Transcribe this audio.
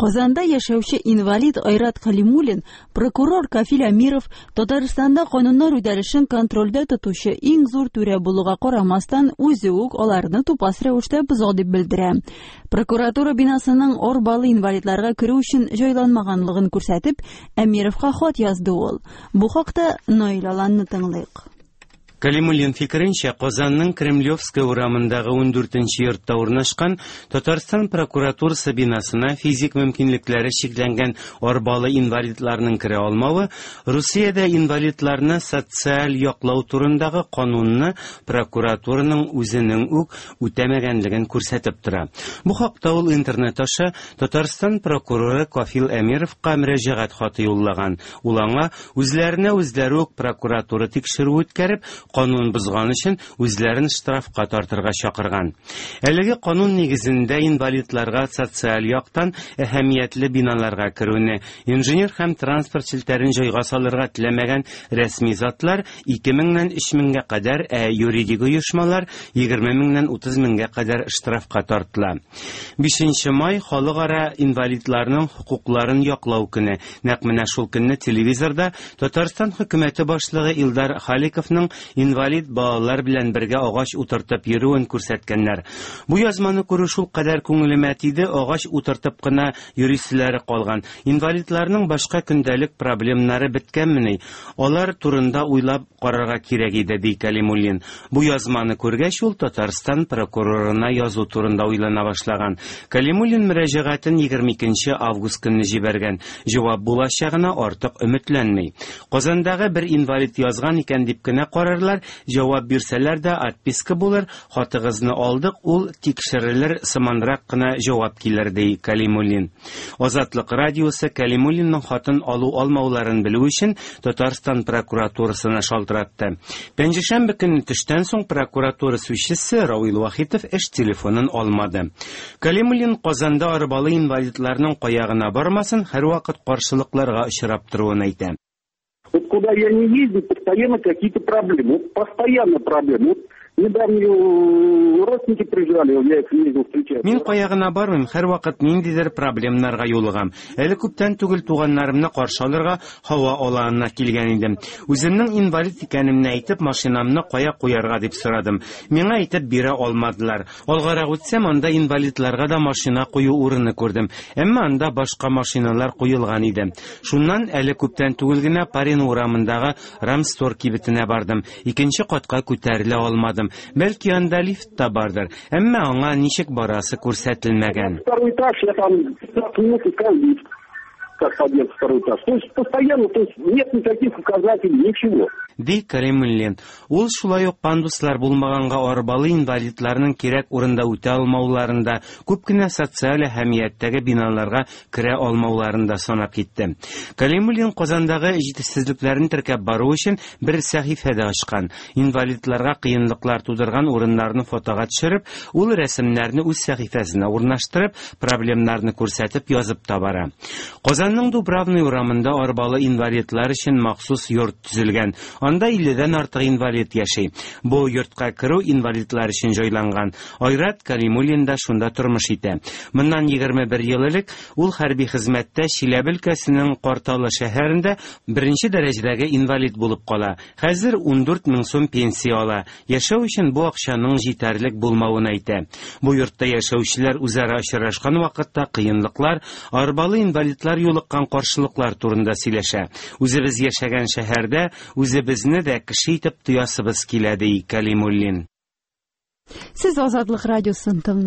Казанда яшәүче инвалид Айрат Калимуллин, прокурор Кафил Әмиров Татарстанда кануннар үтәлешен контрольдә тотучы иң зур түрә булуга карамастан, үзе үк аларны тупас рәвештә боза дип белдерә. Прокуратура бинасының арбалы инвалидларга керү өчен җайланмаганлыгын күрсәтеп, Әмировка хат язды ул. Бу хакта Наил Аланны тыңлыйк. Калимуллин фикеренчә, Казанның Кремлевская урамындагы 14 нче йортта урнашкан Татарстан прокуратурасы бинасына физик мөмкинлекләре чикләнгән арбалы инвалидларның керә алмавы Русиядә инвалидларны социаль яклау турындагы канунны прокуратураның үзенең үк үтәмәгәнлеген күрсәтеп тора. Бу хакта ул интернет аша Татарстан прокуроры Кафил Әмировка мөрәҗәгать хаты юллаган. Ул аңа Үзләренә үзләре үк прокуратура тикшерүе үткәреп, канун бозган өчен үзләрен штрафка тартырга чакырган. Әлеге канун нигезендә инвалидларга социаль яктан әһәмиятле биналарга керүне, инженер һәм транспорт челтәрен җайга салырга теләмәгән рәсми затлар 2 меңнән 3 меңгә кадәр, ә юридик оешмалар 20 меңнән 30 меңгә кадәр штрафка тартыла. Бишенче май, халыкара инвалидларның хокукларын яклау көне. Нәкъ менә шул көнне телевизорда Татарстан хөкүмәте башлыгы Илдар Халиковның инвалид балалар белән бергә агач утыртып йөрүен күрсәткәннәр. Бу язманы күрү шулкадәр күңелемә тиде, агач утыртып кына йөриселәре калган. Инвалидларның башка көндәлек проблемнары беткәнмени? Алар турында уйлап карарга кирәк иде, ди Кәлимуллин. Бу язманы күргәч, ул Татарстан прокурорына язу турында уйлана башлаган. Кәлимуллин мөрәҗәгатен 22 нче август көнне җибәргән. Җавап булачагына артык өметләнми. Казандагы бер инвалид язган икән дип кенә карарлар, җавап бирсәләр дә, отписка булыр, хатыгызны алдык, ул тикшерелер сыманрак кына җавап килер, ди Кәлимуллин. Азатлык радиосы Кәлимуллинның хатын алу-алмауларын белү өчен Татарстан прокуратурасына шалтыратты. Пәнҗешәмбе көнне төштән соң прокуратура сүзчесе Равил Вахитов эш телефонын алмады. Кәлимуллин Казанда арбалы инвалидларның кая гына бармасын, һәрвакыт каршылыкларга очрап торуын әйтә. Вот куда я не ездил, постоянно какие-то проблемы. Вот постоянно проблемы. Вот недавно э, родственники приезжали, я их ездил встречать. Мин кая гына бармыйм, һәрвакыт ниндидер проблемнарга юлыгам. Әле күптән түгел туганнарымны каршы алырга һава аланына килгән идем. Үземнең инвалид икәнемне әйтеп, машинамны кая куярга дип сорадым. Миңа әйтеп бирә алмадылар. Алгарак үтсәм, анда инвалидларга да машина кую урыны күрдем. Әмма анда башка машиналар куелган иде. Шуннан әле күптән түгел генә Парин урамындагы Рамстор кибетенә бардым. Икенче катка күтәрелә алмадым. Бәлки анда лифт та бардыр, әмма аңа ничек барасы күрсәтелмәгән. Второй этаж, я там 15 минут искал лифт, как подъезд второй этаж. То есть постоянно, то есть нет никаких указателей, ничего. Ди Кәримуллин. Ул шулай ук пандуслар булмаганга арбалы инвалидларның кирәк урында үтә алмауларын да, күп кенә социаль әһәмияттәге биналарга керә алмауларын да санап китте. Кәлимуллин Казандагы җитешсезлекләрне теркәп бару өчен бер сәхифә дә ачкан. Инвалидларга кыенлыклар тудырган урыннарны фотога төшереп, ул рәсемнәрне үз сәхифәсенә урнаштырып, проблемнарны күрсәтеп язып та бара. Казанның Дубравный урамында арбалы инвалидлар өчен махсус йорт төзелгән. Анда 50дән артык инвалид яши. Бу йортка керү инвалидлар өчен җайланган. Айрат Калимуллин да шунда тормыш итә. Моннан 21 ел элек ул хәрби хезмәттә Чиләбе өлкәсенең Карталы шәһәрендә беренче дәрәҗәдәге инвалид булып кала. Хәзер 14 мең сум пенсия ала. Яшәү өчен бу акчаның җитәрлек булмавын әйтә. Бу йортта яшәүчеләр үзара очрашкан вакытта кыенлыклар, арбалы инвалидлар юлыккан каршылыклар турында сөйләшә. Үзебез яшәгән шәһәрдә үзебезне дә кеше итеп тоясыбыз килә, ди Кәлимуллин. Сез Азатлык радиосын тыңлыйсыз.